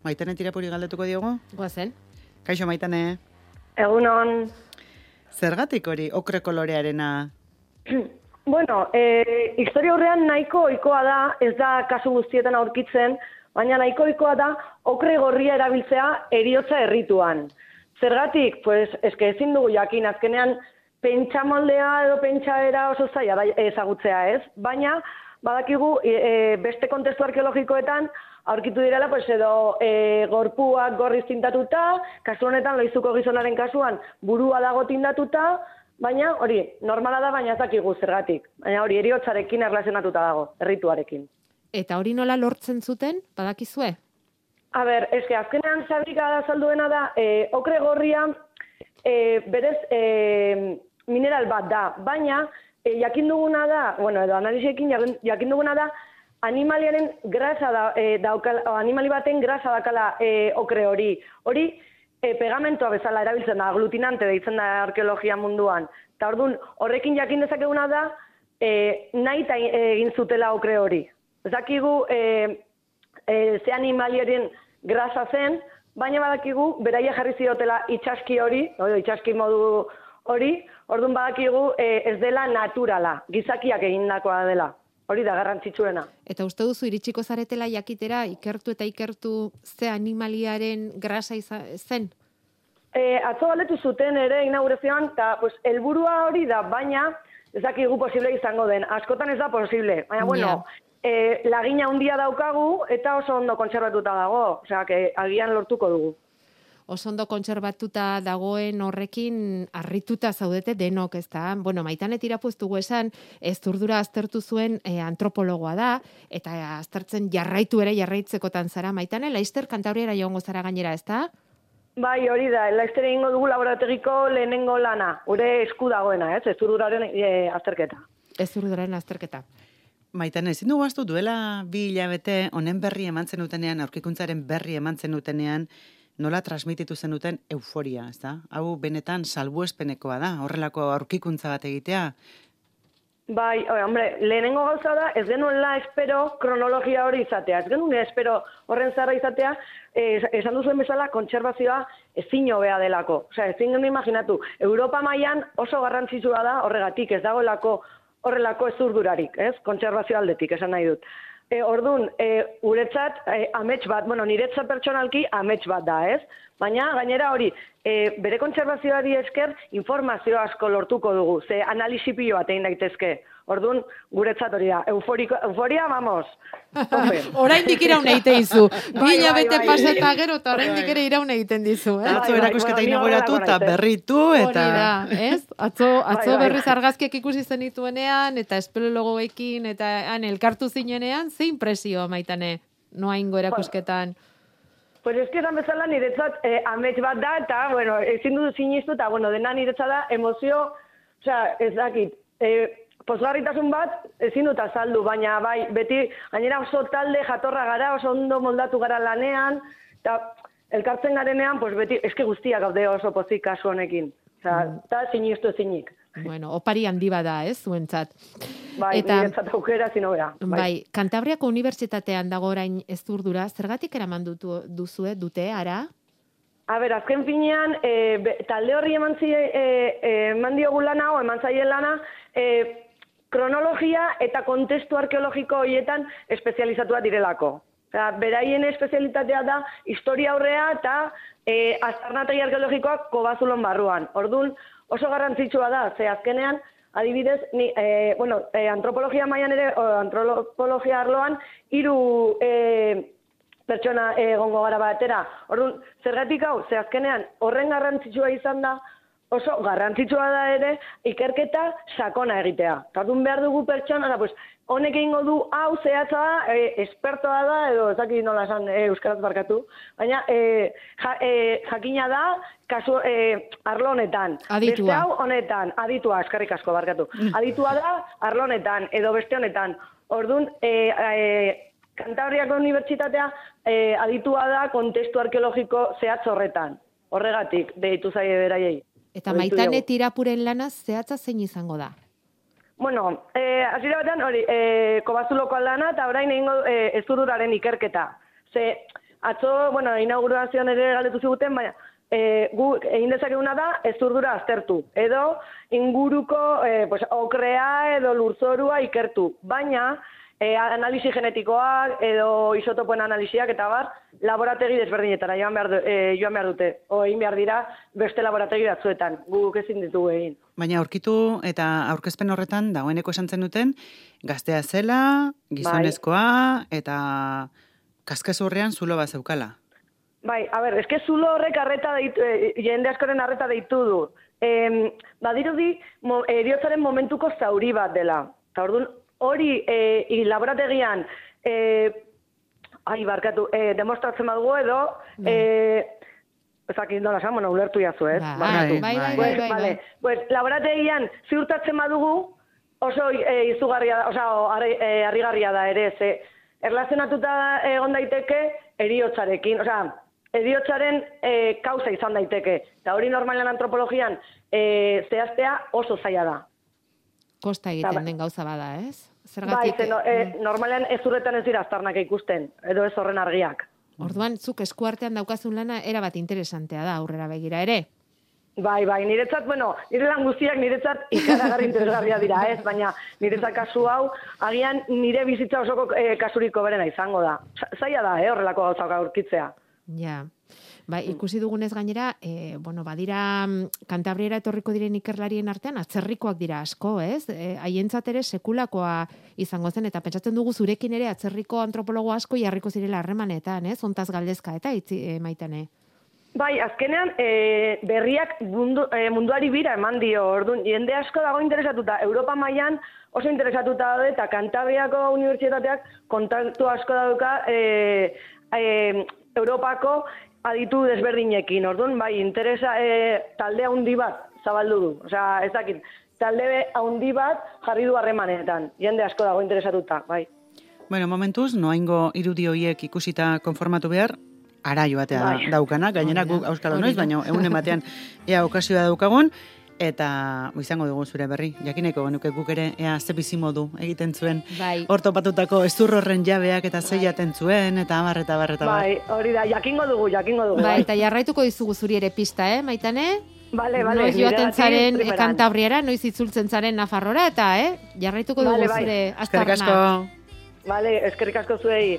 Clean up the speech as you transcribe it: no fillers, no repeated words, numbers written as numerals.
Maitane Tirapuri galdetuko diogu? Goazen. Kaixo Maitane. Egunon. Zergatik hori okre kolorearena? Bueno, historia horrean nahiko ohikoa da, ez da kasu guztietan aurkitzen, baina nahiko ohikoa da okre gorria erabiltzea heriotza errituan. Zergatik, pues, eske ezin dugu jakin, azkenean pentsamoldea edo pentsaera oso zaila da ezagutzea, ez? Baina, badakigu, beste kontestu arkeologikoetan, aurkitu direla, pues, edo gorpuak gorriz tintatuta, kasu honetan Loizuko gizonaren kasuan burua dago tindatuta, baina hori, normala da, baina ez dakigu zergatik. Baina hori, heriotzarekin erlazionatuta dago, errituarekin. Eta hori nola lortzen zuten, badakizue? A ber, eske azkenean fabrika da salduena da, okre gorria berez mineral bat da, baina jakin duguna da, bueno, edo analisiekin jakin duguna da, animaliaren grasa animali baten grasa dakala okre hori. Hori pegamentoa bezala erabiltzen da, aglutinante deitzen da arkeologia munduan. Eta orduan, horrekin jakin dezakeguna da, nahi egin zutela okre hori. Ez dakigu ze animaliaren grasa zen, baina badakigu beraia jarri ziotela itxaski hori, itxaski modu hori, orduan badakigu ez dela naturala, gizakiak egindakoa dela. Hori da garrantzitsuena. Eta uste duzu iritsiko zaretela jakitera ikertu ze animaliaren grasa zen? Atzo galdetu zuten ere inaugurazioan, eta pues, helburua hori da, baina ez dakigu posible izango den. Askotan ez da posible. Baina, bueno, lagina handia daukagu eta oso ondo kontserbatuta dago. Osea, agian lortuko dugu. Oso ondo kontserbatuta dagoen horrekin harrituta zaudete denok, ezta? Bueno, Maitane Tirapuri dugu esan, Zurdura aztertu zuen antropologoa da, eta aztertzen jarraitzekotan zara. Maitane, Laister Kantabriara joango zara gainera, ezta? Bai, hori da, Laister egingo dugu laborategiko lehenengo lana, gure esku dagoena, ez? Zurduraren azterketa. Zurduraren azterketa. Maitane, ezin dugu ahaztu duela 2 hilabete honen berri eman zendutenean, aurkikuntzaren berri eman zendutenean, nola transmititu zenuten euforia, ezta? Hau benetan salbuespenekoa da, horrelako aurkikuntza bat egitea. Bai, hombre, lehenengo gauza da, ez genuela espero kronologia hori izatea. Ez genuen espero horren zarra izatea, esan duzuen bezala, kontserbazioa ezin hobea delako. Osea, ezin genuen imaginatu. Europa mailan oso garrantzitsua da horregatik, ez dagoelako horrelako ezurdurarik, ez? Kontserbazio aldetik, esan nahi dut. Orduan, guretzat, amets bat, bueno, niretzat pertsonalki amets bat da, ez? Baina, gainera hori, bere kontserbazioari esker informazio asko lortuko dugu, ze analisi pilo bat egin daitezke. Orduan, guretzat hori da, euforia, vamos. Oraindik iraun egiten dizu. 2 hilabete pasata gero eta oraindik ere iraun egiten dizu, Atzo erakusketa inauguratu eta berritu eta... Hori da, ez? Atzo berriz argazkiak ikusi zenituenean eta espeleologoekin eta elkartu zinenean, ze impresio, Maitane, noaingo erakusketan? Pues es que esan bezala niretzat amets bat da, eta, bueno, ezin dut sinistu, eta, bueno, dena niretzat da emozio, osea, ez dakit, pozgarritasun bat ezin dut azaldu, baina bai, beti, gainera oso talde jatorra gara, oso ondo moldatu gara lanean, eta elkartzen garenean, pues beti, eske guztiak gaude oso pozik kasu honekin, osea, eta sinistu ezinik. Bueno, opari handi bada, ez, zuentzat. Bai, niretzat aukera zinobera. Bai, Kantabriako Unibertsitatean dago orain Zurdura, zergatik eraman dute, ara? A ber, azken finean, talde horri eman diogu lana, o eman zaien lana, kronologia eta kontestu arkeologiko horietan espezializatua direlako. Beraien espezialitatea da historia aurrea eta aztarnategi arkeologikoak Kobazulon barruan. Orduan, oso garrantzitsua da, ze azkenean, adibidez, antropologia mailan ere, antropologia arloan, 3 pertsona egongo gara batera. Orduan, zergatik hau, ze azkenean, horren garrantzitsua izan da, oso garrantzitsua da ere, ikerketa sakona egitea. Orduan behar dugu pertsona, pues, honek egingo du hau zehatza da, espertoa da, edo ez dakit nola esan euskaraz barkatu, baina jakina da, kasu arlo honetan. Aditua. Beste hau honetan, aditua, eskerrik asko barkatu. Aditua da arlo honetan, edo beste honetan. Orduan, Kantabriako Unibertsitatea aditua da kontestu arkeologiko zehatz horretan. Horregatik, deitu zaie beraiei. Eta Maitane Tirapuren lana zehatza zein izango da? Bueno, hasiera batean hori, Kobazuloko lana eta orain egingo Zurduraren ikerketa. Ze atzo, bueno, inaugurazioan ere galdetu ziguten, baina gu egin dezakeguna da ezurdura aztertu, edo inguruko pues, okrea edo lurzorua ikertu, baina analisi genetikoak edo isotopoen analisiak eta bar, laborategi desberdinetara joan behar dute, o egin behar dira beste laborategi batzuetan, guk ezin ditugu egin. Baina aurkitu eta aurkezpen horretan dagoeneko esan zenuten, gaztea zela, gizonezkoa eta kaskazurrean zulo bat zeukala. Bai, a ber, eske zulo horrek jende askoren arreta deitu du. Badirudi, heriotzaren momentuko zauri bat dela. Eta orduan, hori laborategian demostratzen badugu edo ezakit nola esan, ulertu jazu, ez? Bai. Pues laborategian ziurtatzen badugu oso izugarria da, harrigarria da ere, ze erlazionatuta egon daiteke heriotzarekin, heriotzaren kausa izan daiteke. Eta hori normalean antropologian zehaztea oso zaila da. Kosta egiten den gauza bada, ez? Bai, normalean ez urretan ez dira aztarnak ikusten, edo ez horren argiak. Orduan, zuk eskuartean daukazun lana erabat interesantea da aurrera begira ere. Bai, niretzat, nire lan guztiak niretzat ikaragarri interesgarria dira, ez? Baina niretzat kasu hau, agian nire bizitza osoko kasuriko berena izango da. Zaila da, horrelako gauzak aurkitzea. Ja. Ikusi dugunez gainera, badira Kantabriara etorriko diren ikerlarien artean atzerrikoak dira asko, ez? Haientzat ere sekulakoa izango zen, eta pentsatzen dugu zurekin ere atzerriko antropologo asko jarriko zirela harremanetan, ez? Hontaz galdezka eta Maitane. Bai, azkenean berriak munduari bira eman dio, orduan, jende asko dago interesatuta, Europa mailan oso interesatuta daude, eta Kantabriako unibertsitateak kontaktu asko dauka Europako aditu desberdinekin, orduan, bai, interesa talde handi bat zabaldu du. Ez dakit, talde handi bat jarri du harremanetan, jende asko dago interesatuta, bai. Bueno, momentuz, noaingo irudi horiek ikusita konformatu behar, ara joatea daukana, gainera guk auskalo noiz, baina egunen batean ea okasioa daukagun, eta izango dugu zure berri. Jakineko genuke guk ere ea ze bizimodu egiten zuen. Hor topatutako ezur horren jabeak eta zeiaten zuen, eta abar. Bai, hori da, jakingo dugu. Bai, eta jarraituko dizugu zuri ere pista, Maitane? Bale. Noiz joaten zaren Kantabriara, noiz itzultzen zaren Nafarrora, eta jarraituko dugu zure aztarna. Eskerrik asko. Bale, eskerrik asko zuei.